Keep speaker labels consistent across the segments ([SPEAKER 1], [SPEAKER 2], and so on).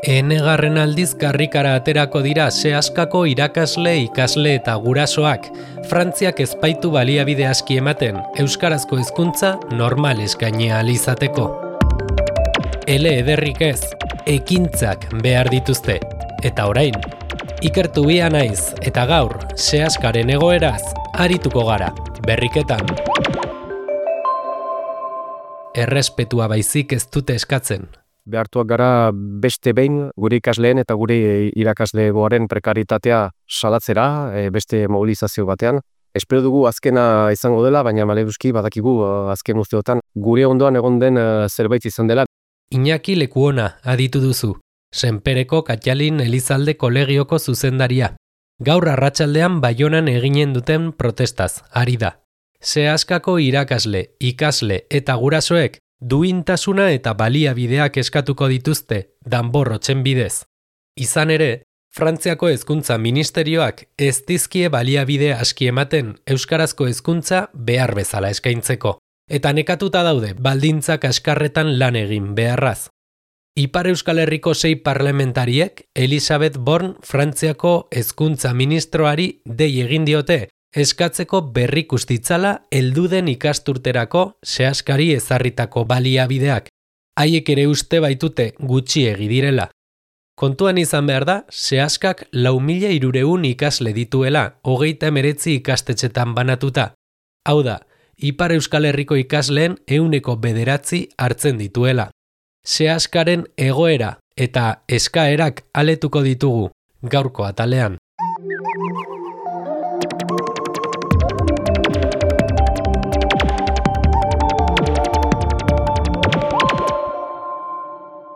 [SPEAKER 1] Enegarren aldiz karrikara aterako dira sehaskako irakasle, ikasle eta gurasoak. Frantziak ez baitu baliabide aski ematen, euskarazko hezkuntza normal eskaini ahal izateko. Ele ederrik ez, ekintzak behar dituzte. Eta orain, ikertu bia naiz eta gaur sehaskaren egoeraz arituko gara, berriketan. Errespetua baizik ez dute eskatzen.
[SPEAKER 2] Behartuak gara beste behin gure ikasleen eta gure irakaslegoaren prekaritatea salatzera, beste mobilizazio batean. Espero dugu azkena izango dela, baina maleruski badakigu azken urteotan gure ondoan egon den zerbait izan dela.
[SPEAKER 1] Iñaki Lekuona aditu duzu, Senpereko Katjalin Elizalde kolegioko zuzendaria. Gaur arratsaldean Baionan eginen duten protestaz, ari da. Sehaskako irakasle, ikasle eta gurasoek duintasuna eta baliabideak eskatuko dituzte danborrotzen bidez. Izan ere, Frantziako hezkuntza ministerioak ez dizkie baliabide aski ematen euskarazko hezkuntza behar bezala eskaintzeko. Eta nekatuta daude baldintzak askarretan lan egin beharraz. Ipar Euskal Herriko 6 parlamentariek Elisabeth Born Frantziako hezkuntza ministroari dei egin diote eskatzeko berrikusi ditzala helduden ikasturterako sehaskari ezarritako baliabideak. Haiek ere uste baitute gutxiegi direla. Kontuan izan behar da, sehaskak 4.300 ikasle dituela, 39 ikastetxetan banatuta. Hau da, Ipar Euskal Herriko ikasleen 9% hartzen dituela. Sehaskaren egoera eta eskaerak aletuko ditugu gaurko atalean.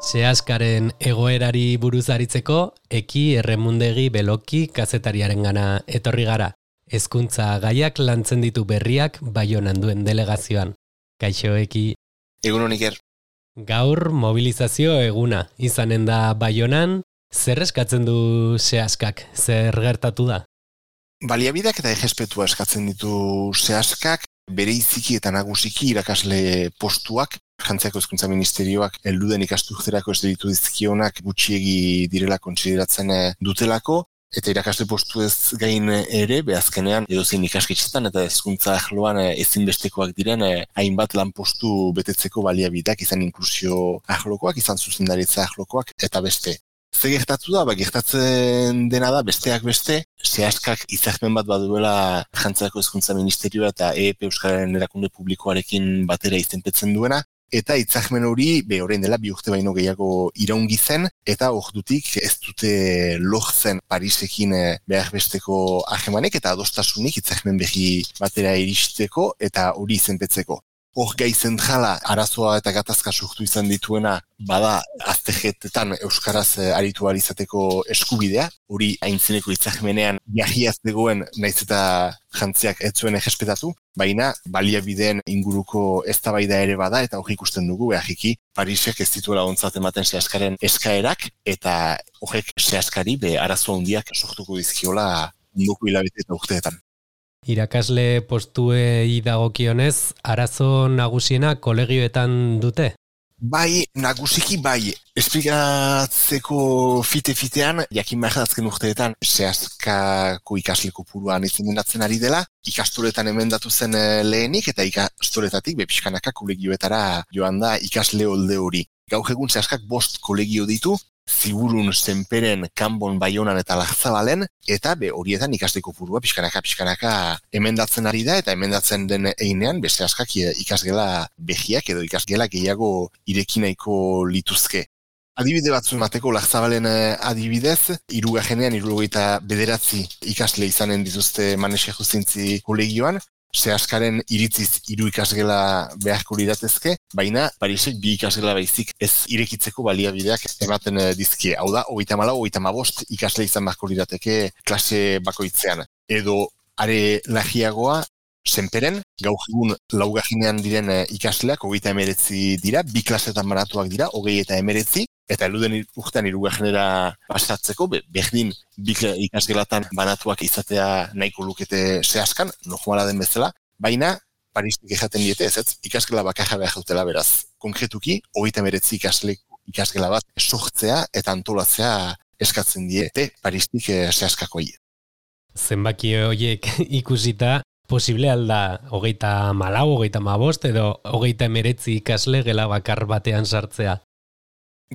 [SPEAKER 1] Sehaskaren egoerari buruz aritzeko, Eki Erremundegi Beloki kazetariarengana etorri gara. Hezkuntza gaiak lantzen ditu berriak Baionan duen delegazioan. Kaixo, Eki.
[SPEAKER 3] Egun Iker.
[SPEAKER 1] Gaur mobilizazio eguna izanen da Baionan. Zer eskatzen du sehaskak? Zer gertatu da?
[SPEAKER 3] Baliabideak eta errespetua eskatzen ditu sehaskak, bereiziki eta nagusiki irakasle postuak. Frantziako hezkuntza ministerioak helduden ikasturterako ez ditu dizkionak gutxiegi direla kontsideratzen dutelako, eta irakasle postu ez gain ere, azkenean edozein ikasketxetan eta hezkuntza arloan ezinbestekoak diren hainbat lanpostu betetzeko baliabideak, izan inklusio arlokoak, izan zuzendaritza arlokoak, eta beste. Ze gertatu da, gertatzen dena da, besteak beste, sehaskak hitzarmen bat baduela Frantziako hezkuntza ministerioa eta EEP Euskararen erakunde publikoarekin batera izenpetzen duena, eta hitzarmen hori, orain dela 2 urte baino gehiago iraungi zen, eta ordutik ez dute lortzen Parisekin behar besteko harremanek eta adostasunik hitzarmen berri batera iristeko eta hori izenpetzeko. Hor gai zentrala arazoa eta gatazka sortu izan dituena bada azterketetan euskaraz aritu ahal izateko eskubidea, hori aintzineko hitzarmenean jarriaz zegoen naiz eta Frantziak ez zuen errespetatu, baina baliabideen inguruko eztabaida ere bada eta hori ikusten dugu beharriki Parisek ez dituela ontzat ematen sehaskaren eskaerak eta horrek sehaskari arazo handiak sortuko dizkiola munduko hilabete eta urteetan.
[SPEAKER 1] Irakasle postuei dagokionez, arazo nagusiena kolegioetan dute?
[SPEAKER 3] Bai, nagusiki bai. Esplikatzeko fite-fitean, jakin behar azken urteetan, sehaskako ikasle kopuruan izendatzen ari dela, ikastoletan emendatu zen lehenik, eta ikastoletatik pixkanaka kolegioetara joan da ikasle holde hori. Gaur egun sehaskak 5 kolegio ditu, Ziburun, Senperen, Kanbon, Baionan eta Larzabalen, eta horietan ikasle kopurua pixkanaka emendatzen ari da, eta emendatzen den einean, beste askak ikasgela behiak edo ikasgela gehiago ireki nahiko lituzke. Adibide batzu emateko Larzabalen adibidez, 79 ikasle izanen dituzte Manese Justintzi kolegioan, sehaskaren iritziz 3 ikasgela beharko liratezke, baina Parisek 2 ikasgela baizik ez irekitzeko baliabideak ematen dizkie. Hau da, 34-35 ikasle izan beharko lirateke klase bakoitzean. Edo are lagiagoa, Senperen, gaur egun 4. diren ikasleak 39 dira, 2 klasetan banatuak dira, 29, eta helduden urtean 3. pasatzeko, berdin 2 ikasgelatan banatuak izatea nahiko lukete sehaskan, normala den bezala, baina Parisek ejaten diete ez, ikasgela bakarra behar dutela beraz. Konkretuki, 39 ikasle ikasgela bat sortzea eta antolatzea eskatzen diete Paristik sehaskakoi.
[SPEAKER 1] Zenbaki horiek ikusita, posible alda 34, 35 edo 39 ikasle gela bakar batean sartzea?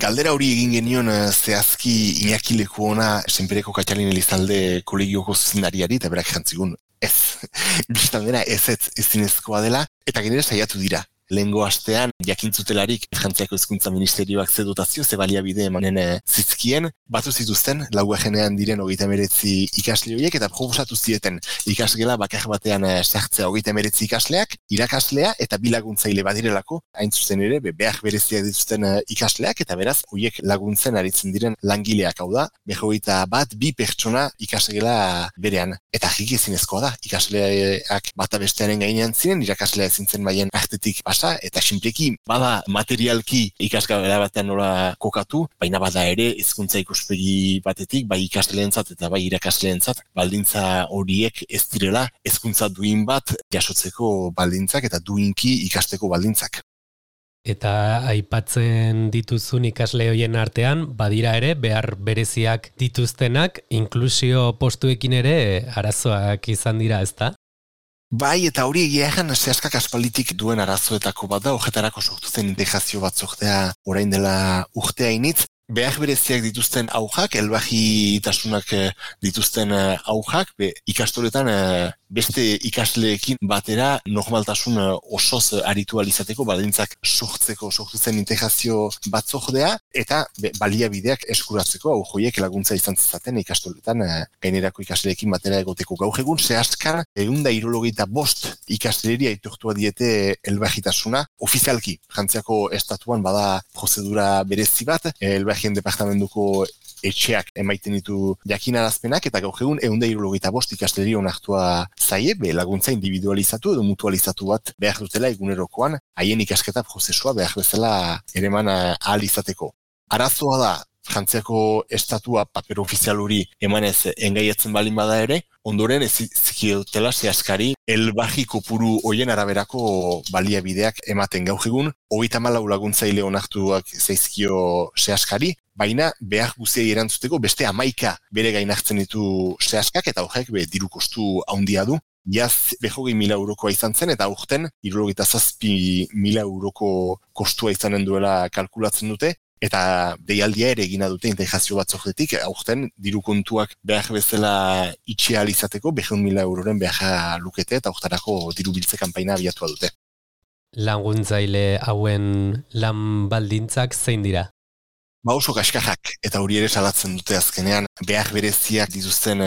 [SPEAKER 3] Galdera hori egin genion zehazki Iñaki Lekuona Senpereko Katxalin Elizalde kolegioko zuzendariari eta berak jantzigun. Ez, biztan dena ezinezkoa dela eta genera saiatu dira. Lehengo astean jakintzutelarik Frantziako Hezkuntza Ministerioak ze dotazio, ze baliabide emanen zizkien, batu zituzten laugajenean diren 39 ikasle horiek eta proposatu zieten ikasgela bakar batean sartzea 39 ikasleak, irakaslea eta bi laguntzaile badirelako, hain zuzen ere behar bereziak dituzten ikasleak eta beraz horiek laguntzen aritzen diren langileak, hau da, 21 pertsona ikasgela berean. Eta jiki ezinezkoa da, ikasleak bata bestearen gainean ziren, irakaslea ezintzen baien artetik eta sinpleki bada materialki ikasgela batean nola kokatu, baina bada ere hezkuntza ikuspegi batetik, bai ikasleentzat eta bai irakasleentzat baldintza horiek ez direla hezkuntza duin bat jasotzeko baldintzak eta duinki ikasteko baldintzak.
[SPEAKER 1] Eta aipatzen dituzun ikasle hoien artean, badira ere behar bereziak dituztenak, inklusio postuekin ere arazoak izan dira, ezta?
[SPEAKER 3] Bai, eta hori egia egan sehaskak aspalditik duen arazoetako bat da, horretarako sortu zen integrazio batzordea orain dela urtea initz. Behar bereziak dituzten aujak, elbajitasunak dituzten aujak, ikastoretan beste ikasleekin batera normaltasun osoz aritu alizateko baldintzak sortu zen integrazio batzordea eta baliabideak eskuratzeko aujoiek laguntza izan zezaten ikastoretan gainerako ikasleekin batera egoteko. Gaur egun sehaskar 175 ikasleria aitortua diete elbajitasuna ofizialki. Frantziako estatuan bada prozedura berezi bat, elbajien departamentuko etxeak emaiten ditu jakinarazpenak eta gaur egun 175 ikasleri onartua zaie, laguntza individualizatu edo mutualizatu bat behar dutela egunerokoan, haien ikasketa prozesua behar bezala ereman ahal izateko. Arazoa da, Frantziako estatua paper ofizial hori emanez engaiatzen balin bada ere, ondoren ez zikiotela sehaskari elbaji kopuru hoien araberako baliabideak ematen gaur egun, 34 laguntzaile onartuak zaizkio sehaskari, baina behar guziei erantzuteko beste 11 bere gain hartzen ditu sehaskak eta horrek diru kostu handia du. Jaz 20.000 eurokoa izan zen eta aurten 77.000 euroko kostua izanen duela kalkulatzen dute. Eta deialdia ere egina dute integrazio batzordetik, aurten diru kontuak behar bezala itxea izateko 100.000 euroren behar lukete eta aurtarako diru biltze kanpaina abiatua dute.
[SPEAKER 1] Laguntzaile hauen lan baldintzak zein dira?
[SPEAKER 3] Oso kaskarrak eta hori ere salatzen dute azkenean behar bereziak dituzten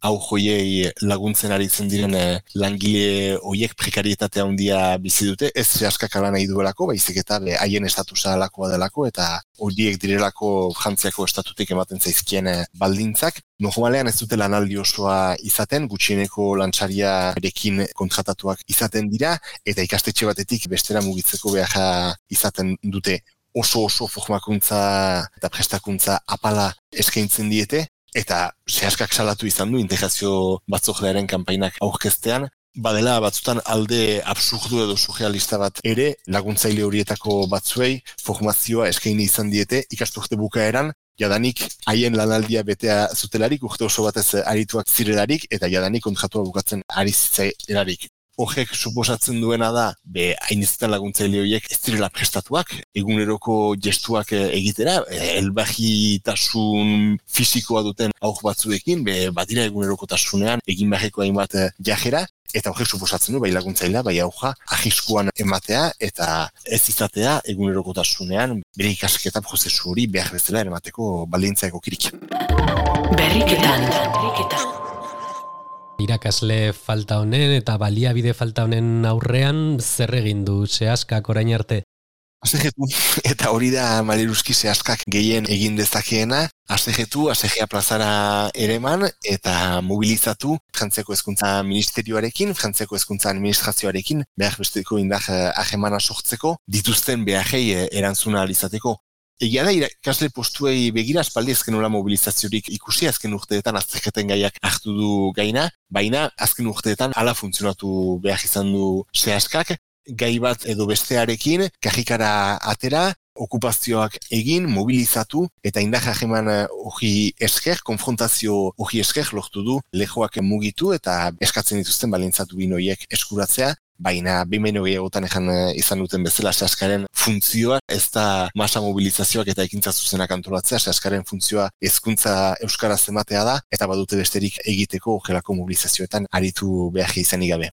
[SPEAKER 3] aujoiei laguntzen aritzen diren langile horiek prekarietatea handia bizi dute, ez sehaskak ala nahi duelako, baizik eta haien estatusa alakoa delako eta horiek direlako Frantziako estatutik ematen zaizkien baldintzak. Normalean ez dute lanaldi osoa izaten, gutxieneko lantzariarekin kontratatuak izaten dira eta ikastetxe batetik bestera mugitzeko behar izaten dute. Oso formakuntza eta prestakuntza apala eskaintzen diete, eta sehaskak salatu izan du integrazio batzordearen kanpainak aurkeztean, badela batzutan alde absurdu edo surrealista bat ere laguntzaile horietako batzuei formazioa eskaini izan diete ikasturte bukaeran, jadanik haien lanaldia betea zutelarik, urte oso batez arituak zirelarik, eta jadanik kontratua bukatzen ari zitzailarik. Horrek suposatzen duena da, hainizetan laguntzaile horiek ez direla prestatuak, eguneroko gestuak egitera, elbajitasun fisikoa duten aur batzuekin, badira egunerokotasunean egin beharreko hainbat jajera, eta horrek suposatzen du, bai laguntzailea, bai auja, ahiskuan ematea, eta ez izatea egunerokotasunean bere ikasketa prozesu hori behar bezala emateko baldintza egokirik.
[SPEAKER 4] Berriketan.
[SPEAKER 1] Irakasle falta honen eta baliabide falta honen aurrean zer egin du sehaskak orain arte?
[SPEAKER 3] Asegetu, eta hori da maleruski sehaskak gehien egin dezakeena, asegetu, asegea plazara ereman eta mobilizatu Frantziako Hezkuntza Ministerioarekin, Frantziako Hezkuntza Administrazioarekin, behar besteko indar ahemana sortzeko, dituzten beharrei erantzuna alizateko. Egia da, irakasle postuei begira aspaldi azken nola mobilizaziorik ikusi, azken urteetan azterketen gaiak hartu du gaina, baina azken urteetan hala funtzionatu behar izan du sehaskak, gai bat edo bestearekin, kajikara atera, okupazioak egin, mobilizatu, eta indarra jeman hori esker, konfrontazio hori esker lortu du, lehoak mugitu eta eskatzen dituzten balintzatu binoiek eskuratzea, baina behin gehiagotan izan duten bezala sehaskaren funtzioa, ez da masa mobilizazioak eta ekintza zuzenak antolatzea, sehaskaren funtzioa hezkuntza euskaraz ematea da, eta badute besterik egiteko horrelako mobilizazioetan aritu behar izanik gabe.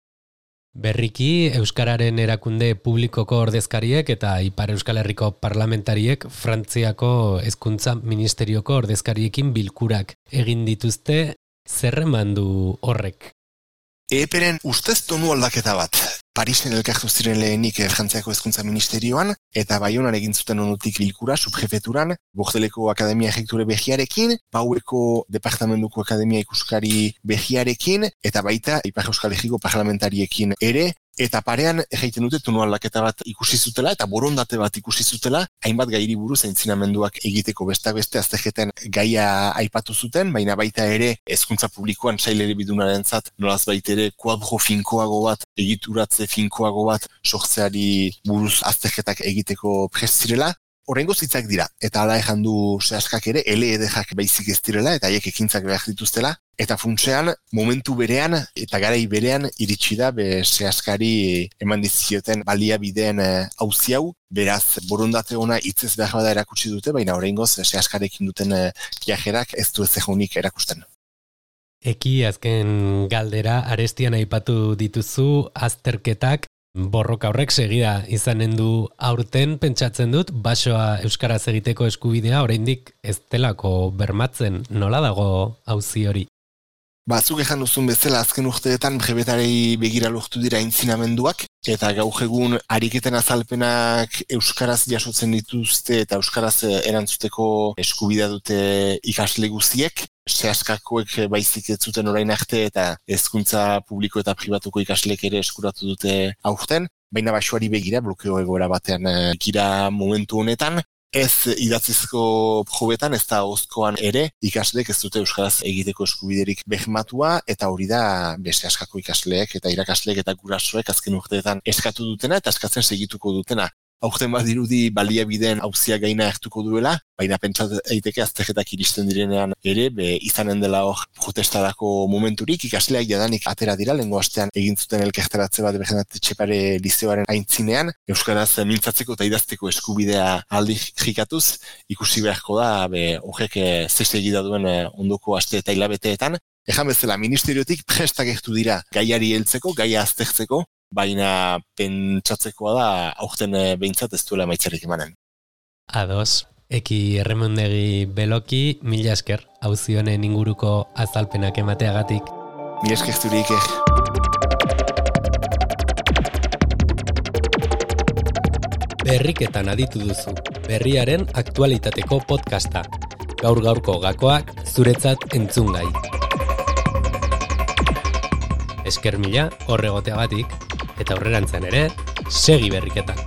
[SPEAKER 1] Berriki, Euskararen erakunde publikoko ordezkariek eta Ipar Euskal Herriko parlamentariek Frantziako hezkuntza ministerioko ordezkariekin bilkurak egin dituzte, zer eman du horrek?
[SPEAKER 3] EPren ustez tonu aldaketa bat. Parisen elkartu ziren lehenik Frantziako hezkuntza ministerioan, eta Baionan egin zuten onutik bilkura, subjefeturan, Bordeleko Akademia Errekture behiarekin, Paueko Departamentuko Akademia Ikuskari behiarekin, eta baita Ipar Euskal Herriko parlamentariekin ere, eta parean egiten dute tonu aldaketa bat ikusi zutela, eta borondate bat ikusi zutela, hainbat gairi buruz aintzinamenduak egiteko besteak beste aztegeten gaia aipatu zuten, baina baita ere hezkuntza publikoan sailere bidunarentzat nolaz baitere kuadro finkoago bat, egituratze finkoago bat sortzeari buruz aztegetak egiteko prest zirela. Horrengo zitzak dira, eta hala ejan du sehaskak ere, LEDjak baizik ez direla, eta haiek ekintzak behar dituztela, eta funtsean, momentu berean, eta garai berean, iritsi da, sehaskari eman dizkioten baliabideen auzi hau, beraz, borondate ona hitzez behar bada erakutsi dute, baina horrengoz, sehaskarekin duten viajerak ez du ez egonik erakusten.
[SPEAKER 1] Eki azken galdera, arestian aipatu dituzu azterketak, borroka horrek segida izanen du aurten, pentsatzen dut, basoa euskaraz egiteko eskubidea oraindik ez delako bermatzen, nola dago auzi hori?
[SPEAKER 3] Zuk ejan duzun bezala azken urteetan brebetarei begira lortu dira aintzinamenduak, eta gaur egun ariketen azalpenak euskaraz jasotzen dituzte eta euskaraz erantzuteko eskubidea dute ikasle guztiek, sehaskakoek baizik ez zuten orain arte eta hezkuntza publiko eta pribatuko ikasleek ere eskuratu dute aurten, baina basoari begira blokeo egoera batean gira momentu honetan, ez idatzizko probetan, ez da ozkoan ere, ikasleek ez dute euskaraz egiteko eskubiderik bermatua, eta hori da beste askako ikasleek eta irakasleek eta gurasoek azken urteetan eskatu dutena eta eskatzen segituko dutena. Aurten badirudi baliabideen auzia gaina hartuko duela, baina pentsat eiteke azterketak iristen direnean ere, izanen dela hor protestarako momenturik, ikasleak jadanik atera dira, lehengo astean egin zuten elkarteratze bat Bernadet Etxepare lizeoaren aintzinean, euskaraz mintzatzeko eta idazteko eskubidea aldirikatuz, ikusi beharko da, horrek zeste egida duen ondoko aste eta hilabeteetan. Ejan bezala, ministeriotik prestak agertu dira gaiari heltzeko, gaia aztertzeko, baina pentsatzekoa da aurten behintzat ez duela emaitzarik emanen.
[SPEAKER 1] Ados, Eki Erremondegi Beloki, mila esker, auzi honen inguruko azalpenak emateagatik.
[SPEAKER 3] Mila esker zurik.
[SPEAKER 1] Berriketan aditu duzu, berriaren aktualitateko podcasta. Gaur-gaurko gakoak zuretzat entzungai. Esker mila horregoteagatik, eta aurrerantzean ere, segi berriketan.